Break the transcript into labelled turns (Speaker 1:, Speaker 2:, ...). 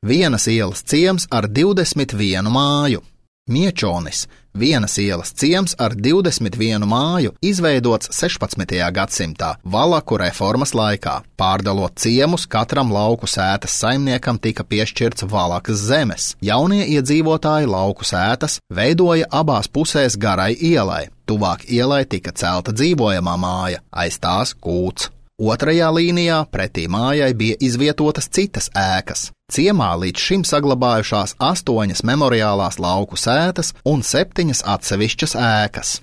Speaker 1: Vienas ielas ciems ar 21 māju. Miečonis, vienas ielas ciems ar 21 māju, izveidots 16. gadsimtā, Valaku reformas laikā. Pārdalot ciemus, katram lauku sētas saimniekam tika piešķirts Valakas zemes. Jaunie iedzīvotāji lauku sētas veidoja abās pusēs garai ielai. Tuvāk ielai tika celta dzīvojamā māja, aiz tās kūts. Otrajā līnijā pretī mājai bija izvietotas citas ēkas. Ciemā līdz šim saglabājušās 8 memoriālās lauku sētas un 7 atsevišķas ēkas.